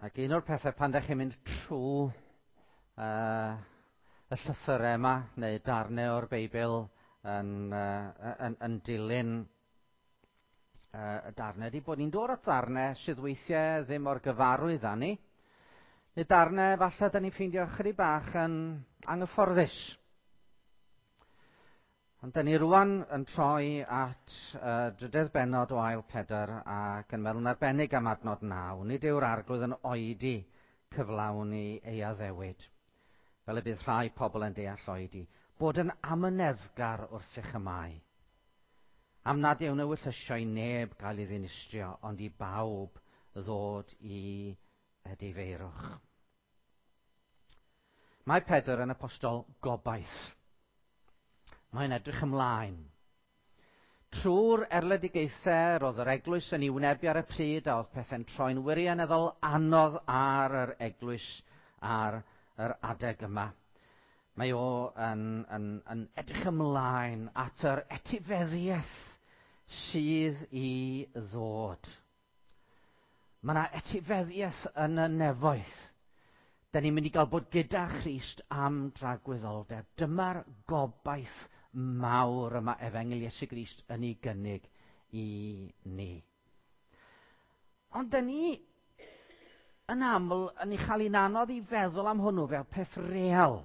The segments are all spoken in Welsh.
Ac un o'r pethau pan ddech chi'n mynd trwy y llythyrau yma, neu darnau o'r Beibl yn, yn, yn dilyn y darnau, ydy bod ni'n dod at ddarnau sydd weithiau ddim o'r gyfarwydd â ni, neu darnau falle da ni'n ffeindio chydig bach yn anghyfforddus. Ond da ni rwan yn troi at drydedd bennod o ail Pedr ac yn meddwl yn arbennig am adnod 9. Nid yw'r arglwydd yn oedi cyflawni ei addewid, fel y bydd rhai pobl yn deall oedi, bod yn amyneddgar wrth eich y mae. Am nad yw'n ewyllysio i neb gael ei ddinistrio, ond i bawb ddod i edifeirwch. Mae Pedr yn apostol gobaith. Mae'n edrych ymlaen. Trwy'r erledigaethau roedd yr eglwys yn ei wynebu ar y pryd a oedd pethau'n troi'n wirioneddol anodd ar yr eglwys ar yr adeg yma. Mae o yn, yn, yn edrych ymlaen at yr etifeddiaeth sydd i ddod. Mae yna etifeddiaeth yn y nefoedd. Da ni'n mynd i gael bod gyda Christ am dragwyddoldeb. Dyma'r gobaith mawr yma Efengyl Iesu Grist yn ei gynnig i ni. Ond da ni yn aml yn ei chael hi'n anodd i feddwl am hwnnw fel peth real.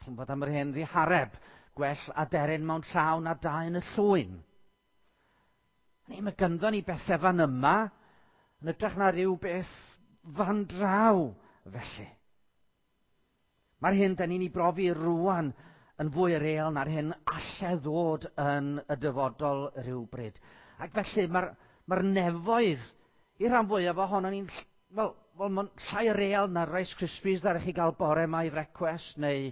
Chi'n bod am yr hen ddihareb, gwell aderyn mewn llaw na dau yn y llwyn. Ni, mae ganddo ni bethau fan yma, yn ytrach na rhyw beth fan draw, felly. Mae'r hyn da ni'n ei brofi rwan yn fwy real na'r hyn alle ddod yn y dyfodol rhywbryd. Ac felly mae'r mae nefoedd i rhan fwyaf ohono ni'n wel, wel mae'n llai real na'r Rice Krispies ddaru chi gael bore yma i frecwest, neu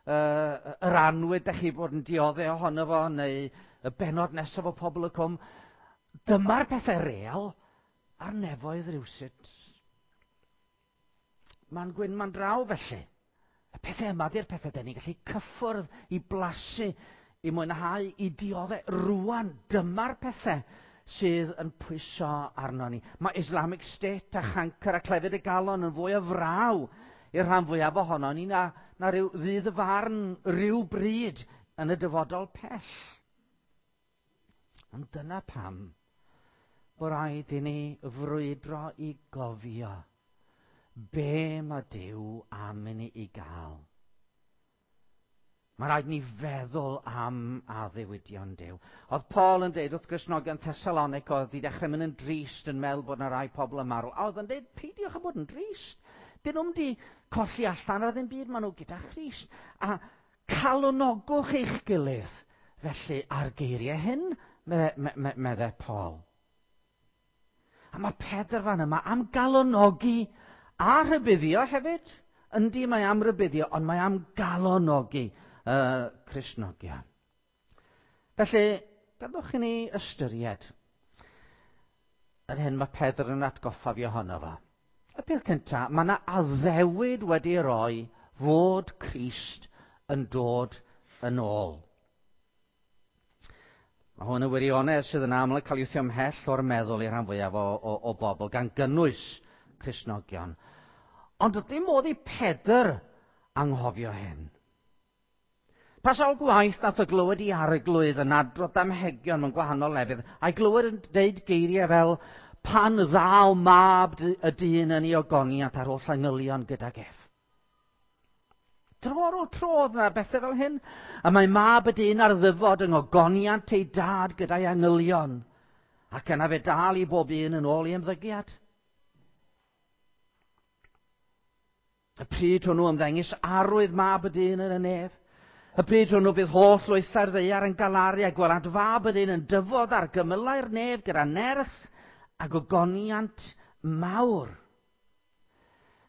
yr anwyd da chi bod yn dioddef ohono fo, neu y benod nesaf o Pobl y Cwm. Dyma'r pethau real a'r nefoedd rhywsut. Mae'n gwyn, mae'n draw felly. Y pethau yma di'r pethau da ni'n gallu cyffwrdd i blasu, i mwynhau, i dioddef. Rwan, dyma'r pethau sydd yn pwyso arno ni. Mae Islamic State a chancr a clefyd y galon yn fwy o fraw i'r rhan fwyaf ohono ni na, na rhyw ddydd y farn rhyw bryd yn y dyfodol pell. Ond dyna pam bod rhaid i ni frwydro i gofio be mae Duw am i ni i gael. Mae rhaid ni feddwl am addewidion Duw. Oedd Paul yn deud wrth Gristnogion Thessalonic oedd wedi dechrau mynd yn drist yn meddwl bod yna rai pobl yn marw. A oedd yn deud, peidiwch â bod yn drist. Dyn nhw'n di colli allan ar ddim byd, maen nhw gyda Christ. A calonogwch eich gilydd. Felly, ar geiriau hyn, meddai Paul. A mae Pedr fan yma am galonogi a rhybuddio hefyd. Yndi, mae am rybuddio, ond mae am galonogi y Cristnogion. Felly, gadwch i ni ystyried yr hyn mae Pedr yn atgoffa fi ohono fo. Y peth cyntaf, mae yna addewid wedi roi fod Crist yn dod yn ôl. Mae hwn yn wirionedd sydd yn aml yn cael ei wthio ymhell o'r meddwl i'r rhan fwyaf o, o, o bobl, gan gynnwys Cristnogion. Ond dim modd i Pedr anghofio hyn. Pa sawl gwaith nath o glywed i arglwydd yn adrodd damhegion mewn gwahanol lefydd, a'i glywed yn deud geiriau fel pan ddaw mab y dyn yn ei ogoniant ar holl angylion gydag ef. Tro ar ôl tro oedd yna bethau fel hyn. A mae mab y dyn ar ddyfod yng ngogoniant ei dad gyda'i angylion. Ac yna fe dal i bob un yn ôl ei ymddygiad. Y pryd hwnnw ymddengys arwydd mab y dyn yn y nef. Y pryd hwnnw bydd holl lwythau'r ddaear yn galaru a gwelant fab y dyn yn dyfod ar gymylau'r nef gyda nerth a gogoniant mawr.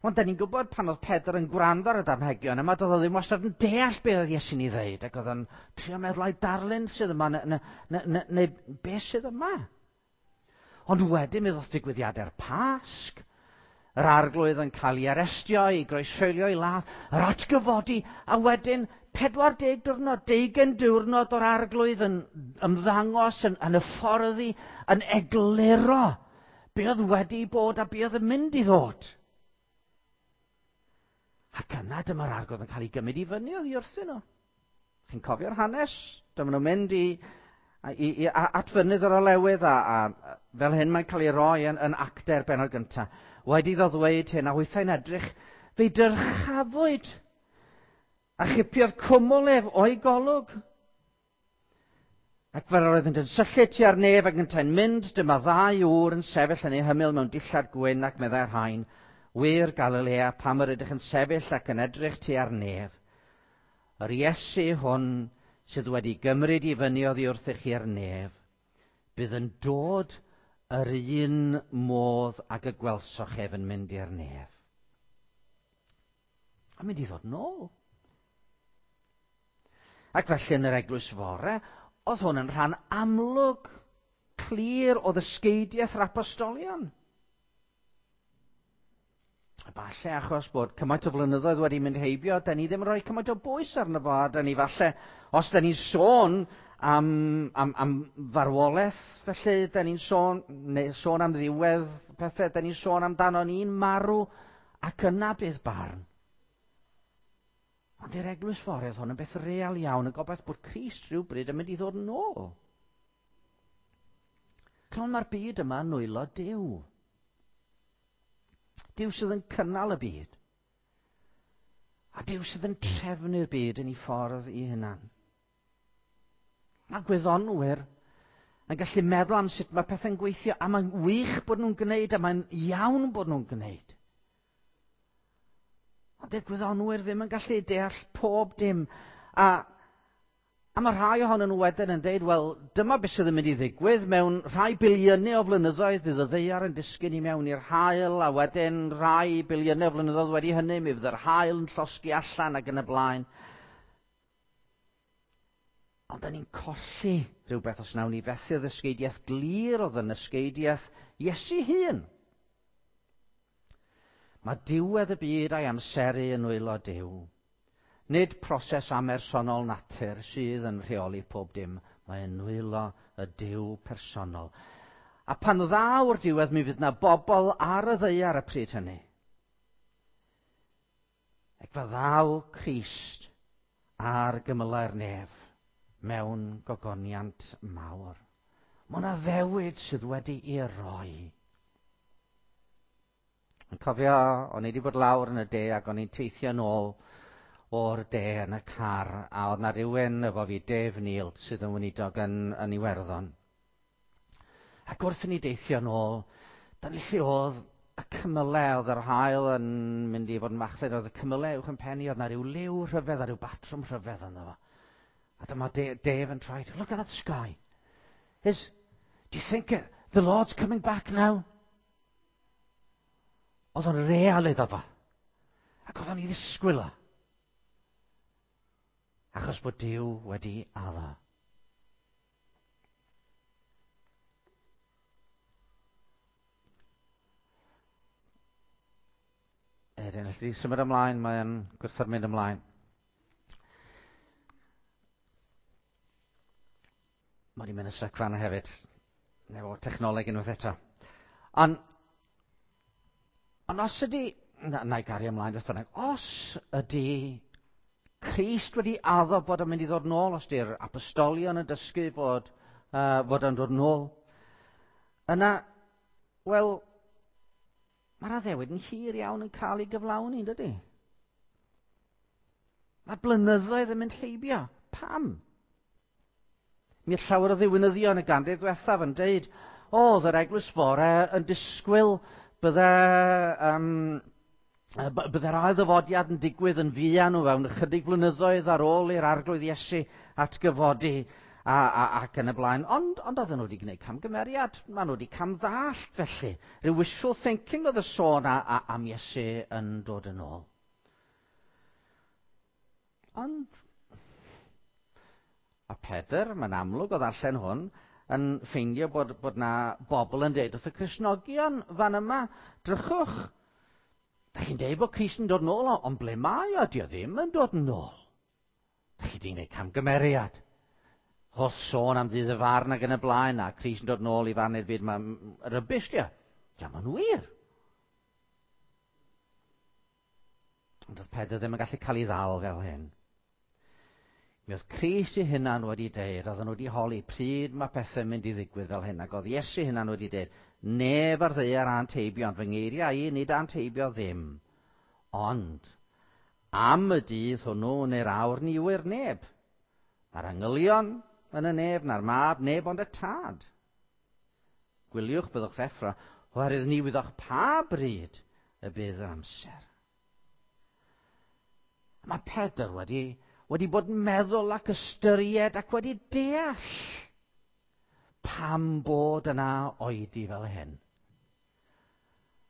Ond da ni'n gwybod pan oedd Pedr yn gwrando ar y damhegion yma, doedd o ddim wastad yn deall beth oedd Iesu'n ei ddeud, ac oedd o'n trio meddwl ai darlun sydd yma, neu, neu, neu, neu beth sydd yma. Ond wedyn mi ddoth digwyddiadau'r Pasg, yr arglwydd yn cael ei arestio, ei groeshoelio, ei ladd, yr atgyfodi, a wedyn 40 diwrnod, 20 diwrnod o'r arglwydd yn ymddangos, yn, yn y fforddi, yn egluro Be oedd wedi bod a be oedd yn mynd i ddod. Ac yna dyma'r arglwydd yn cael ei gymryd i fyny oddi wrthyn nhw. Chi'n cofio'r hanes? Dyma nhw'n mynd i, i, i, at fynydd yr olewydd a, a fel hyn mae'n cael ei roi yn, yn actau'r benod gyntaf. Wedi iddo ddweud hyn, a hwythau'n edrych, fe'i dyrchafwyd a chipiodd cwmwl ef o'i golwg. Ac fel yr oedd yn syllu tua'r nef ac yntau'n mynd, dyma ddau ŵr yn sefyll yn ei hymyl mewn dillad gwyn ac meddai'r rhain, wir Galilea, pam yr ydych yn sefyll ac yn edrych tua'r nef. Yr Iesu hwn sydd wedi gymryd i fyny oddi wrthych chi'r nef, bydd yn dod yr un modd ag y gwelsoch ef yn mynd i'r nef. A mynd i ddod nôl. Ac felly yn yr eglwys fore, oedd hwn yn rhan amlwg, clir o ddysgeidiaeth yr apostolion. Falle achos bod cymaint o flynyddoedd wedi mynd heibio, da ni ddim yn rhoi cymaint o bwys arno fo, a da ni falle, os da ni'n sôn am, am, am farwolaeth, felly da ni'n sôn, neu sôn am ddiwedd pethau, da ni'n sôn amdano ni'n marw, ac yna bydd barn. Ond i'r eglwys ffordd hwn yn beth real iawn, y gobaith bod Crist rhywbryd yn mynd i ddod yn ôl. Clon mae'r byd yma yn nwylo Duw. Duw sydd yn cynnal y byd. A Duw sydd yn trefnu'r byd yn ei ffordd ei hunan. Mae gwyddonwyr yn gallu meddwl am sut mae pethau'n gweithio, a mae'n wych bod nhw'n gwneud, a mae'n iawn bod nhw'n gwneud. Ond dy'r gwyddonwyr ddim yn gallu deall pob dim. A, a mae rhai ohonyn nhw wedyn yn deud, wel, dyma beth sydd yn mynd i ddigwydd. Mewn rhai biliynau o flynyddoedd bydd y ddaear yn disgyn i mewn i'r haul, a wedyn rhai biliynau o flynyddoedd wedi hynny, mi fydd yr haul yn llosgi allan ac yn y blaen. Ond da ni'n colli rhywbeth os nawn ni fethu'r ddysgeidiaeth glir o ddynysgeidiaeth Iesu hun. Mae diwedd y byd a'i amseru yn nwylo Duw. Nid proses amersonol natur sydd yn rheoli pob dim, mae yn nwylo y Duw personol. A pan ddaw'r diwedd, mi fydd na bobl ar y ddaear y pryd hynny. Ac fe ddaw Crist ar gymylau'r nef mewn gogoniant mawr. Mae yna ddewid sydd wedi'i roi. Yn cofio, o'n i wedi bod lawr yn y de ac o'n i'n teithio nôl o'r de yn y car, a oedd na rhywun efo fi, Dave Neal, sydd yn weinidog yn, yn Iwerddon. Ac wrth i ni deithio nôl, da ni lle oedd y cymylau, oedd yr haul yn mynd i fod yn machlud, oedd y cymylau uwch yn penni, oedd na rhyw liw rhyfedd a rhyw batrwm rhyfedd ynddo fo. A dyma Dave yn troi, look at that sky. Is, do you think the Lord's coming back now? Oedd o'n real iddo fo. Ac oedd o'n i ddisgwyl o. Achos bod Duw wedi addo. Erin, allu di symud ymlaen, mae'n gwrthod mynd ymlaen. Mae wedi mynd yn syc fan hefyd. Neu o technoleg unwaith eto. Ond, ond os ydy... Na, na i gario ymlaen beth bynnag. Os ydy Crist wedi addo bod o'n mynd i ddod nôl, os di'r apostolion yn dysgu bod, uh, bod o'n dod nôl, yna, wel, mae'r addewid yn hir iawn yn cael ei gyflawni, dydy? Mae blynyddoedd yn mynd heibio. Pam? Mi oedd llawer o ddiwinyddion y ganrif ddiwethaf yn deud, o, oedd yr eglwys fore yn disgwyl bydde, um, bydde'r ail ddyfodiad yn digwydd yn fuan o fewn ychydig blynyddoedd ar ôl i'r arglwydd Iesu atgyfodi a, a, ac yn y blaen. Ond, ond oedden nhw wedi gwneud camgymeriad. Maen nhw wedi camddallt felly. Rhyw wishful thinking oedd y sôn a, a, am Iesu yn dod yn ôl. Ond A Pedr, mae'n amlwg o ddarllen hwn, yn ffeindio bod, bod na bobl yn deud wrth y Cristnogion fan yma, drychwch, da chi'n deud bod Crist yn dod nôl, ond ble mae o? Di o ddim yn dod nôl. Da chi di gwneud camgymeriad. Holl sôn am ddydd y farn ac yn y blaen, a Crist yn dod nôl i farn i'r byd, mae'n rubbish di o. Diolch yn wir. Ond oedd Pedr ddim yn gallu cael ei ddal fel hyn. Mi oedd Crist ei hunan wedi deud, oedden nhw wedi holi pryd mae pethau'n mynd i ddigwydd fel hyn, ac oedd Iesu hunan wedi deud, neb ar ddaear a'n teibio, ond fy ngeiriau i nid a'n teibio ddim. Ond, am y dydd hwnnw neu'r awr ni ŵyr neb. Na'r angylion yn y nef, na'r mab, neb ond y tad. Gwyliwch, byddwch ddeffro, oherwydd ni wyddoch pa bryd y bydd yr amser. Mae Pedr wedi bod yn meddwl ac ystyried ac wedi deall pam bod yna oedi fel hyn.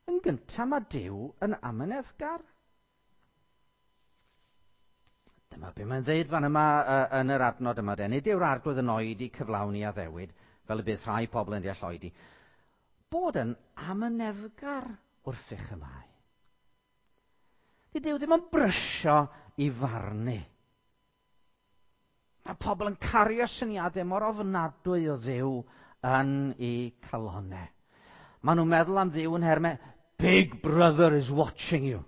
Yn gyntaf, mae Duw yn amyneddgar. Dyma be mae'n dweud fan yma yn yr adnod yma. De. Nid yw'r arglwydd yn oedi cyflawni addewid, fel y bydd rhai pobl yn deall oedi. Bod yn amyneddgar wrthych y mae. Dydy Duw ddim yn brysio i farnu. Mae pobl yn cario syniadau mor ofnadwy o Dduw yn eu calonau. Maen nhw'n meddwl am Dduw yn nhermau, Big Brother is watching you.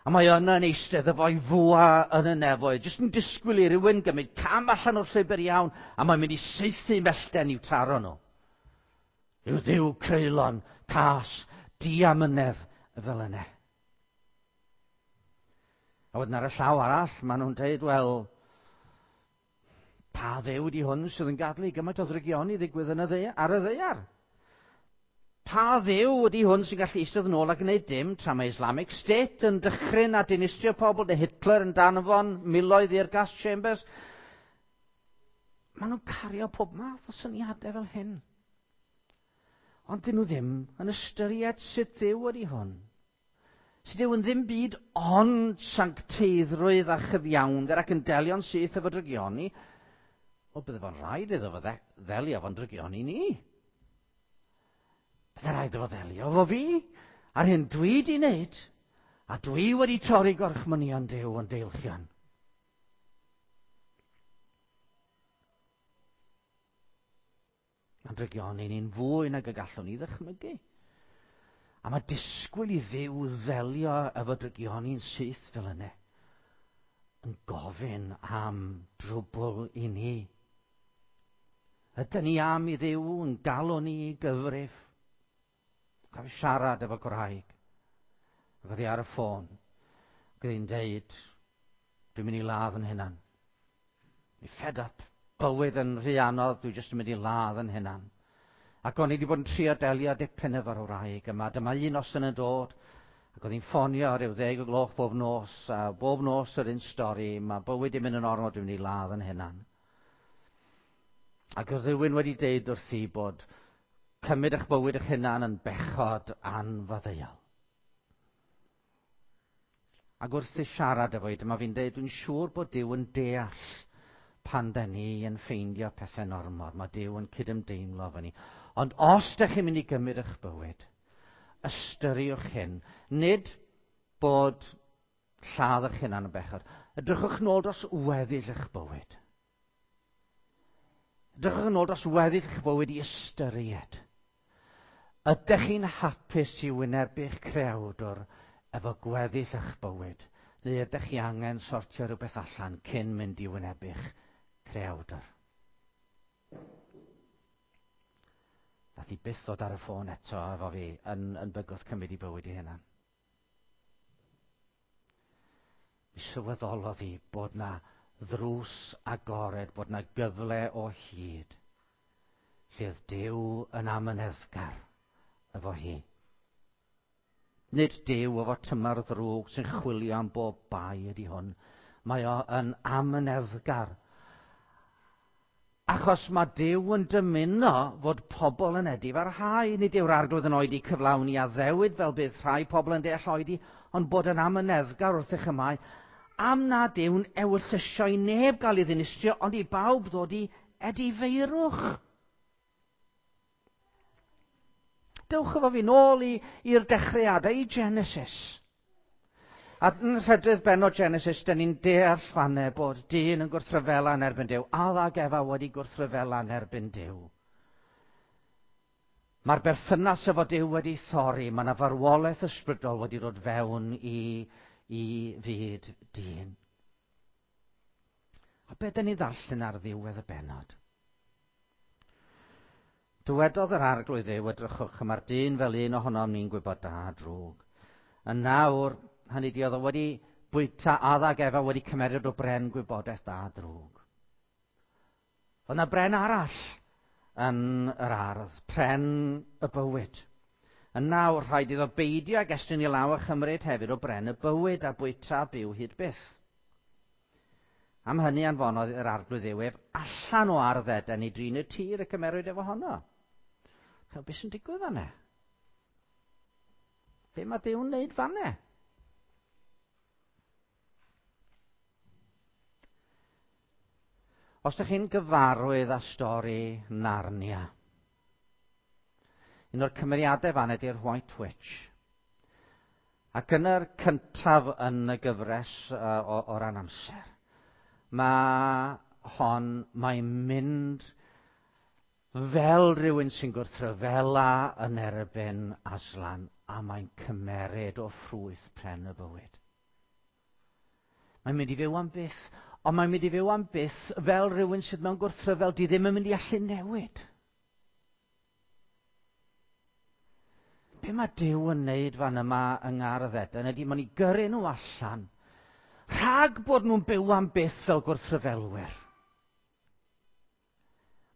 A mae yna yn eistedd efo'i fwa yn y nefoedd, jyst yn disgwyl i rywun gymryd cam allan o'r llwybr iawn, a mae'n mynd i saethu mellten i'w taro nhw. Yw Dduw creulon, cas, diamynedd fel yna. A wedyn ar y llaw arall, maen nhw'n dweud, wel, pa Dduw di hwn sydd yn gadael i gymaint o ddrygioni ddigwydd yn y dde, ar y ddaear? Pa Dduw ydy hwn sy'n gallu eistedd yn ôl a gwneud dim tra mae Islamic State yn dychryn a dinistrio pobl, neu Hitler yn danfon miloedd i'r gas chambers? Maen nhw'n cario pob math o syniadau fel hyn. Ond dyn nhw ddim yn ystyried sut Dduw ydy hwn. Sut Duw yn ddim byd ond sancteiddrwydd a chyfiawnder ac yn delio'n syth efo drygioni, wel, bydde fo'n rhaid iddo fo ddelio fo'n drygioni ni. Bydde rhaid iddo fo ddelio efo fi, a'r hyn dwi di wneud, a dwi wedi torri gorchmynion Duw yn deilchion. Mae'n drygioni ni'n fwy nag y gallwn ni ddychmygu. A mae disgwyl i Dduw ddelio efo drygioni'n syth fel yna, yn gofyn am drwbl i ni. Ydyn ni am i Dduw yn galw ni i gyfrif? Cofio siarad efo gwraig. Ac oedd hi ar y ffôn. Ac oedd hi'n deud, dwi'n mynd i ladd yn hunan. Dwi'n fed up. Bywyd yn rhy anodd, dwi jyst yn mynd i ladd yn hunan. Ac o'n i wedi bod yn trio delio dipyn efo'r wraig yma. Dyma un noson yn dod, ac oedd hi'n ffonio rhyw 10 o gloch bob nos, a bob nos yr un stori, mae bywyd yn mynd yn ormod, dwi'n mynd i ladd yn hunan. Ac oedd rhywun wedi deud wrthi bod cymryd eich bywyd eich hunan yn bechod anfaddeuol. Ac wrth i siarad efo hi, dyma fi'n deud, dwi'n siŵr bod Duw yn deall pan da ni yn ffeindio pethau'n ormod. Mae Duw yn cydymdeimlo efo ni. Ond os da chi'n mynd i gymryd eich bywyd, ystyriwch hyn. Nid bod lladd eich hunan yn bechod. Edrychwch nôl dros weddill eich bywyd. Edrychwch yn ôl dros weddill eich bywyd i ystyried. Ydych chi'n hapus i wynebu'ch creawdwr efo gweddill eich bywyd, neu ydych chi angen sortio rhywbeth allan cyn mynd i wynebu'ch creawdwr? Nath hi byth ddod ar y ffôn eto efo fi yn bygwth cymryd i bywyd i hunan. Mi sylweddolodd hi bod na ddrws agored, bod na gyfle o hyd, lle oedd Duw yn amyneddgar efo hi. Nid Duw efo tymor ddrwg sy'n chwilio am bob bai ydy hwn. Mae o yn amyneddgar. Achos mae Duw yn dymuno fod pobl yn edifarhau. Nid yw'r arglwydd yn oedi cyflawni addewid fel bydd rhai pobl yn deall oedi, ond bod yn amyneddgar wrth eich ymau, am nad yw'n ewyllysio i neb gael ei ddinistrio, ond i bawb ddod i edifeirwch. Dewch efo fi nôl i'r dechreuadau, i Genesis. A yn rhedrydd bennod Genesis, dyn ni'n deall fanne bod dyn yn gwrthryfela yn erbyn Duw. Adda ac Efa wedi gwrthryfela yn erbyn Duw. Mae'r berthynas efo Duw wedi thorri, mae yna farwolaeth ysbrydol wedi dod fewn i fyd dyn. A be dyn ni ddarllen ar ddiwedd y bennod? Dywedodd yr Arglwydd Dduw, edrychwch, mae'r dyn fel un ohonom ni'n gwybod da a drwg. Yn nawr, hynny di, oedd o wedi bwyta Adda ag Efa wedi cymeryd o bren gwybodaeth da a drwg. Oedd yna bren arall yn yr ardd, pren y bywyd. Yn nawr, rhaid iddo beidio ag estyn i law a chymryd hefyd o bren y bywyd a bwyta a byw hyd byth. Am hynny anfonodd yr Arglwydd Dduw ef allan o ardd Eden i drin y tir y cymerwyd efo honno. Chel, beth sy'n digwydd fanne? Be mae Duw'n wneud fanne? Os ydych chi'n gyfarwydd â stori Narnia, un o'r cymeriadau fan ydy'r White Witch. Ac yn yr cyntaf yn y gyfres o ran amser, mae hon, mae'n mynd fel rhywun sy'n gwrthryfela yn erbyn Aslan, a mae'n cymeryd o ffrwyth pren y bywyd. Mae'n mynd i fyw am byth, ond mae'n mynd i fyw am byth fel rhywun sydd mewn gwrthryfel, di ddim yn mynd i allu newid. Be mae Duw yn neud fan yma yng Ngardd Eden ydy mae'n i gyrru nhw allan rhag bod nhw'n byw am byth fel gwrthryfelwyr.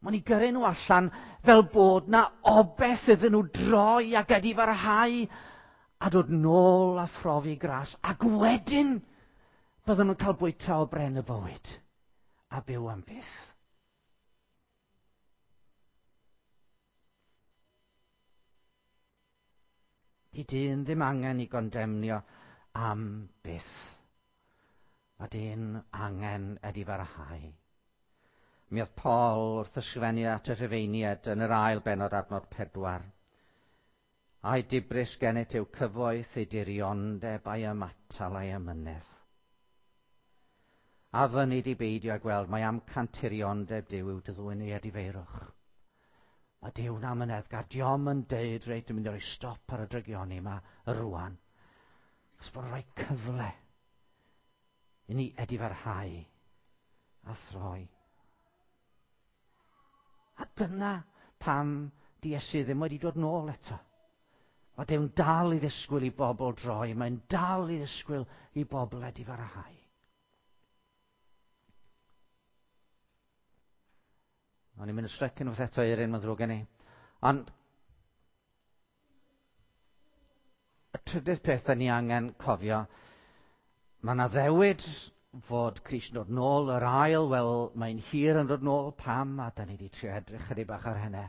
Mae'n i gyrru nhw allan fel bod na obeth iddyn nhw droi ac edifarhau a dod nôl a phrofi gras. Ac wedyn bydden nhw'n cael bwyta o bren y bywyd a byw am byth. Di dyn ddim angen i gondemnio am byth. Mae dyn angen edifarhau. Mi oedd Paul wrth ysgrifennu at y Rhufeiniaid yn yr ail bennod adnod 4. Ai dibris gennyt yw cyfoeth ei diriondeb a'i ymatal a'i amynedd. A fyny di beidio â gweld mae amcan tiriondeb Duw yw dy ddwyn i edifeirwch. Mae Duw'n amyneddgar. Diom yn deud, reit, dwi'n mynd i roi stop ar y drygioni yma rwan. Os bod rhoi cyfle i ni edifarhau a throi. A dyna pam di Iesu ddim wedi dod nôl eto. Mae Duw'n dal i ddisgwyl i bobl droi. Mae'n dal i ddisgwyl i bobl edifarhau. O'n i'n mynd yn styc unwaith eto, Eirin, mae'n ddrwg gen i. Ond y trydydd peth da ni angen cofio, mae yna ddewid fod Crist yn dod nôl, yr ail, wel, mae'n hir yn dod nôl, pam, a da ni wedi trio edrych chydig bach ar hynny.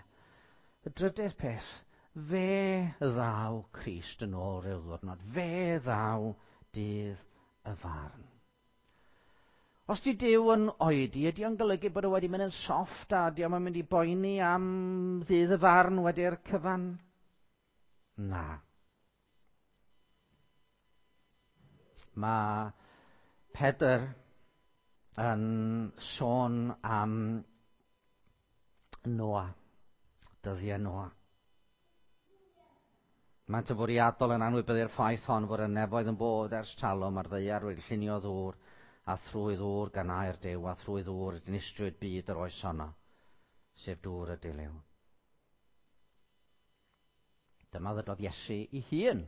Y drydydd peth, fe ddaw Crist yn ôl rhyw ddwrnod, fe ddaw dydd y farn. Os di Duw yn oedi, ydy o'n golygu bod o wedi mynd yn soft a ydy o'n mynd i boeni am ddydd y farn wedi'r cyfan? Na. Mae Pedr yn sôn am Noa, dyddiau Noa. Maent yn fwriadol yn anwybyddu'r ffaith hon fod y nefoedd yn bod ers talwm a'r ddaear wedi llunio ddŵr a thrwy ddŵr gan air Duw a thrwy ddŵr dinistriwyd byd yr oes honno, sef dŵr y dilyw. Dyma ddydodd Iesu i hun.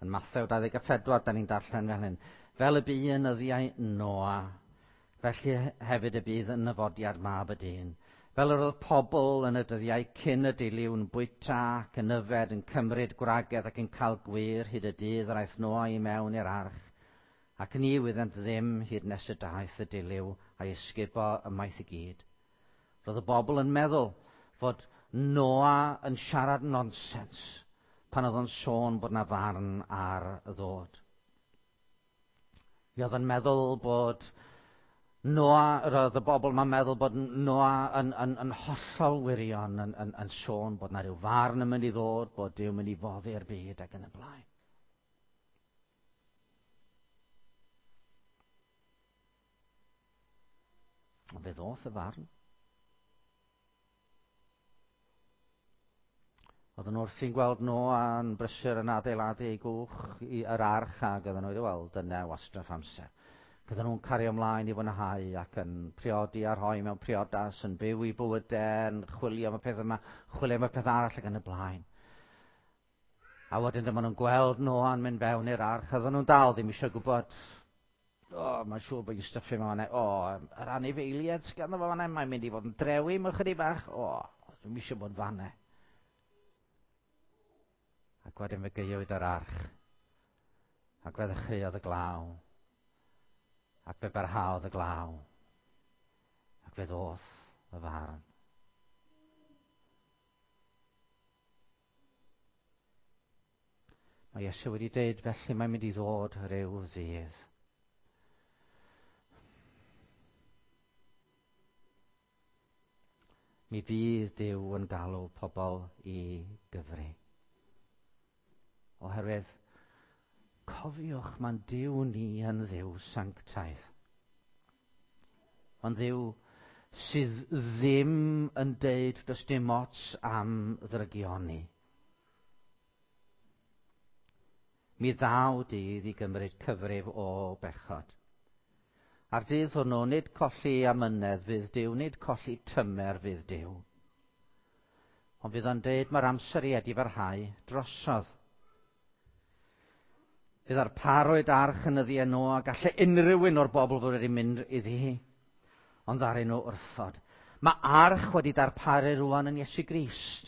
Yn Mathew 24, da ni'n darllen fel hyn. Fel y bu yn nyddiau Noa, felly hefyd y bydd yn nyfodiad mab y dyn. Fel yr oedd pobl yn y dyddiau cyn y dilyw yn bwyta ac yn yfed, yn cymryd gwragedd ac yn cael gwir hyd y dydd yr aeth Noa i mewn i'r arch, ac ni wyddent ddim hyd nes y daeth y dilyw a'i ysgubo ymaith i gyd. Roedd y bobl yn meddwl fod Noa yn siarad nonsens pan oedd o'n sôn bod na farn ar ddod. Mi oedd yn meddwl bod Noa, roedd y bobl yma'n meddwl bod Noa yn hollol wirion, yn sôn bod na rhyw farn yn mynd i ddod, bod Duw yn mynd i foddi'r byd ac yn y blaen. Ond fe ddoth y farn. Oedden nhw wrthi'n gweld Noa yn brysur yn adeiladu ei gwch i yr arch ac oedden nhw wedi weld dyna wastraff amser. Oedden nhw'n cario ymlaen i fwynhau ac yn priodi a rhoi mewn priodas, yn byw i bywydau, yn chwilio am y peth yma, chwilio am y peth arall ac yn y blaen. A wedyn dyma nhw'n gweld Noa'n mynd fewn i'r arch, oedden nhw'n dal ddim eisiau gwybod. O, mae'n siŵr bod hi'n stuffio yma fan'na. O, yr anifeiliaid sydd ganddo fo fan'na, mae'n mynd i fod yn drewi mewn chydig bach. O, dwi'm eisiau bod fan'na. Ac wedyn fe gaewyd yr arch. Ac fe ddechreuodd y glaw. Ac fe barhaodd y glaw. Ac fe ddoth y farn. Mae Iesu wedi dweud felly mae'n mynd i ddod rhyw ddydd. Mi fydd Duw yn galw pobl i gyfri. Oherwydd, cofiwch, mae'n Duw ni yn Dduw sanctaidd. Mae'n Dduw sydd ddim yn deud does dim ots am ddrygioni. Mi ddaw dydd i gymryd cyfrif o bechod. A'r dydd hwnnw, nid colli amynedd fydd Duw, nid colli tymer fydd Duw. Ond fydd o'n deud mae'r amser i edifarhau drosodd. Fydd arparwyd arch yn nyddiau Noa, gallai unrhyw un o'r bobl fod wedi mynd iddi hi, ond ddaru nhw wrthod. Mae arch wedi darparu rwan yn Iesu Grist.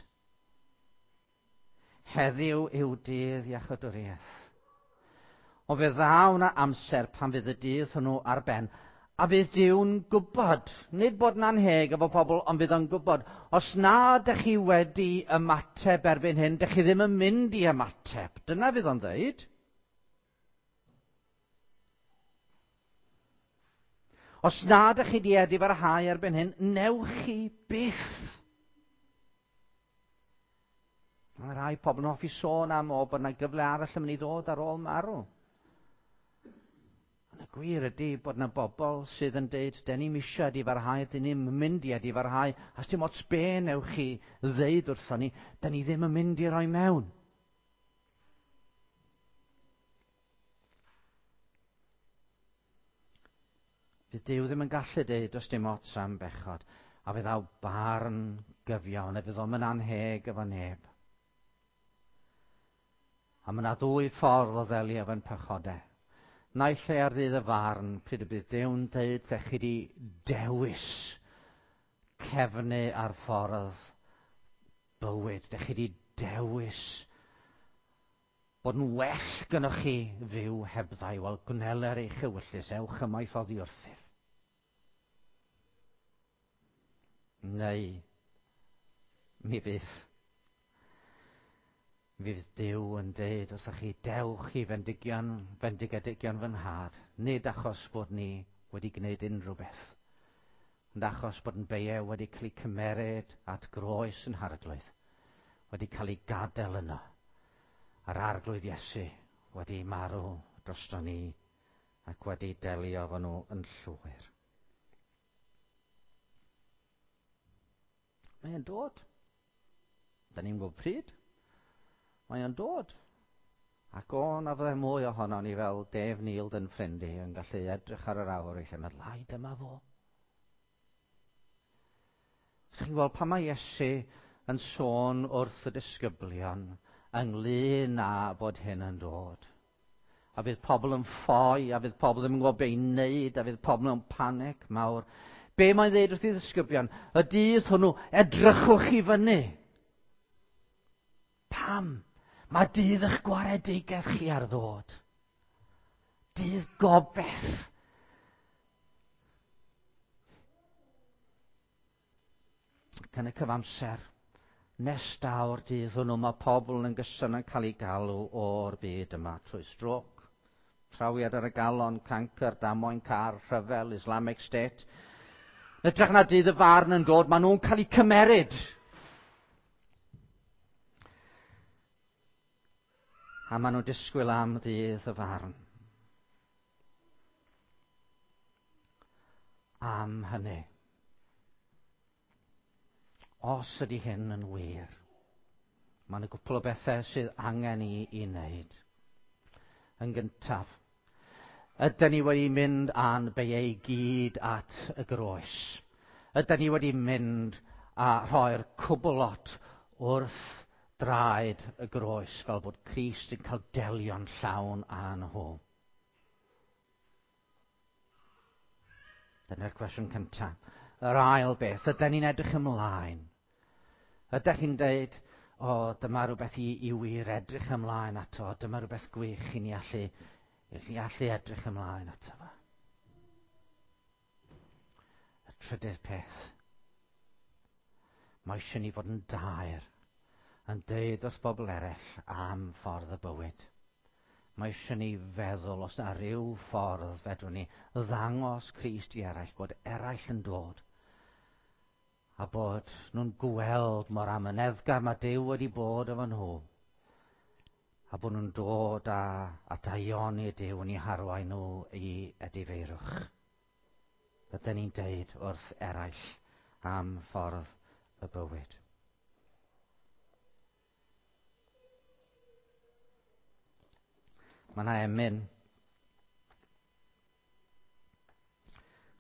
Heddiw yw dydd iachawdwriaeth. Ond fe ddaw 'na amser pan fydd y dydd hwnnw ar ben, a fydd Duw'n gwybod, nid bod yn anheg efo pobl, ond fydd o'n gwybod, os na dych chi wedi ymateb erbyn hyn, dych chi ddim yn mynd i ymateb. Dyna fydd o'n dweud. Os na dych chi di edifarhau erbyn hyn, newch chi byth. Mae rhai pobl yn hoffi sôn am o bod yna gyfle arall yn mynd i ddod ar ôl marw. Ond y gwir ydy bod yna bobl sydd yn deud, den ni'm eisiau edifarhau, dyn ni'm yn mynd i edifarhau, a dim ots be newch chi ddeud wrthon ni, den ni ddim yn mynd i roi mewn. Fydd Duw ddim yn gallu deud does dim ots am bechod, a fe ddaw barn gyfiawn, a fydd o'm yn anheg efo neb. A mae yna ddwy ffordd o ddelio efo'n pechodau. Naill ai ar ddydd y farn, pryd y bydd Duw'n deud lle chi di dewis cefnu ar ffordd bywyd, dych chi di dewis Bod yn well gynnoch chi fyw hebddau, wel, gwneler eich ewyllys, ewch ymaith oddi wrthyf. Neu, mi fydd, mi fydd Duw yn deud wrthych chi, dewch i fendigion, fendigedigion fy nhad, nid achos bod ni wedi gwneud unrhyw beth, ond achos bod yn beiau wedi cael eu cymeryd at groes yn harglwydd, wedi cael ei gadael yno, a'r Arglwydd Iesu wedi marw drosto ni ac wedi delio efo nhw yn llwyr. Mae e'n dod. Da ni'n gwybod pryd. Mae e'n dod. Ac o, na fydde mwy ohono ni fel Dave Neild yn ffrind i yn gallu edrych ar yr awr eisiau meddwl, ai, dyma fo. Chi'n gweld pan mae Iesu yn sôn wrth y disgyblion ynglyn â bod hyn yn dod. A fydd pobl yn ffoi, a fydd pobl ddim yn gwybod be i wneud, a fydd pobl mewn panic mawr. Be mae'n dweud wrth i ddisgyblion? Y dydd hwnnw, edrychwch i fyny. Pam? Mae dydd eich gwaredigaeth chi ar ddod. Dydd gobeith. Ac yn y cyfamser, nes daw'r dydd hwnnw, mae pobl yn gyson yn cael eu galw o'r byd yma trwy strôc, trawiad ar y galon, cancr, damwain car, rhyfel, Islamic State. Yn hytrach na dydd y farn yn dod, maen nhw'n cael eu cymeryd. A maen nhw'n disgwyl am ddydd y farn. Am hynny. Os ydy hyn yn wir, Mae yna gwpl o bethau sydd angen i wneud. Yn gyntaf, ydyn ni wedi mynd â'n beiau i gyd at y groes? Ydyn ni wedi mynd a rhoi'r cwbl lot wrth draed y groes fel bod Crist yn cael delio'n llawn â nhw? Dyna'r cwestiwn cyntaf. Yr ail beth, ydyn ni'n edrych ymlaen? Ydych chi'n dweud, o, dyma rhywbeth i wir edrych ymlaen ato, dyma rhywbeth gwych i ni allu edrych ymlaen ato fo. Y trydydd peth, mae eisiau ni fod yn daer, yn deud wrth bobl eraill am ffordd y bywyd. Mae eisiau ni feddwl os na ryw ffordd fedrwn ni ddangos Crist i eraill, bod eraill yn dod, a bod nhw'n gweld mor amyneddgar mae Duw wedi bod efo nhw, a bod nhw'n dod a daioni Duw yn eu harwain nhw i edifeirwch. Ydyn ni'n deud wrth eraill am ffordd y bywyd. Mae yna emyn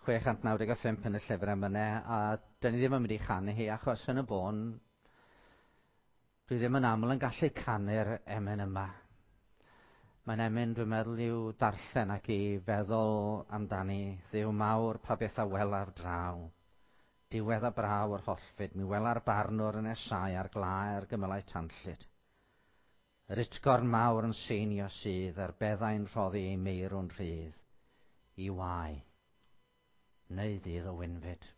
695 yn y llyfr emynau, a dyn ni ddim yn mynd i chanu hi, achos yn y bôn, dwi ddim yn aml yn gallu canu'r emyn yma. Mae'n emyn, dwi'n meddwl, i'w darllen ac i feddwl amdani. Dduw mawr, pa beth a welaf draw. Diwedd a braw yr hollfyd, mi wela'r barnwr yn esau ar glaer gymylau tanllyd. Yr utgorn mawr yn seinio sydd, a'r beddau'n rhoddi ei meirw'n rhydd, i wae, neu ddydd o wynfyd.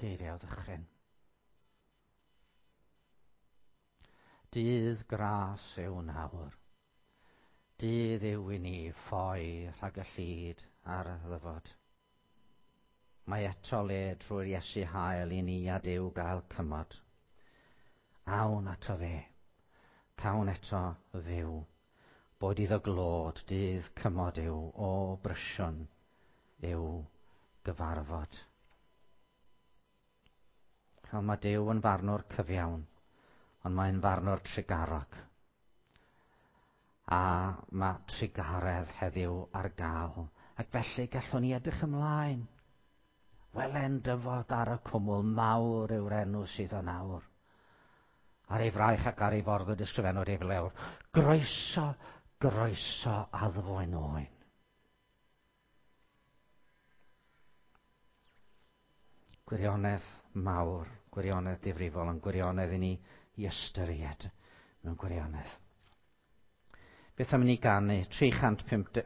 Geiriau ddychryn. Dydd gras yw nawr. Dydd yw i ni ffoi rhag y llid a'r ddyfod. Mae eto le trwy'r Iesu hael i ni a Duw gael cymod. Awn ato fe, cawn eto fyw. Boed iddo glod, dydd cymod yw, o brysion yw gyfarfod. Chel, mae Duw yn farnwr cyfiawn, ond mae'n farnwr trugarog. A mae trugaredd heddiw ar gael, ac felly gallwn ni edrych ymlaen. Welen dyfod ar y cwmwl mawr yw'r enw sydd o nawr. Ar ei fraich ac ar ei fordd y disgrifennwyd ei flewr. Groeso, groeso addfoen oen. Gwirionedd mawr, gwirionedd difrifol, ond gwirionedd i ni i ystyried mewn gwirionedd. Beth am i ni ganu? 350...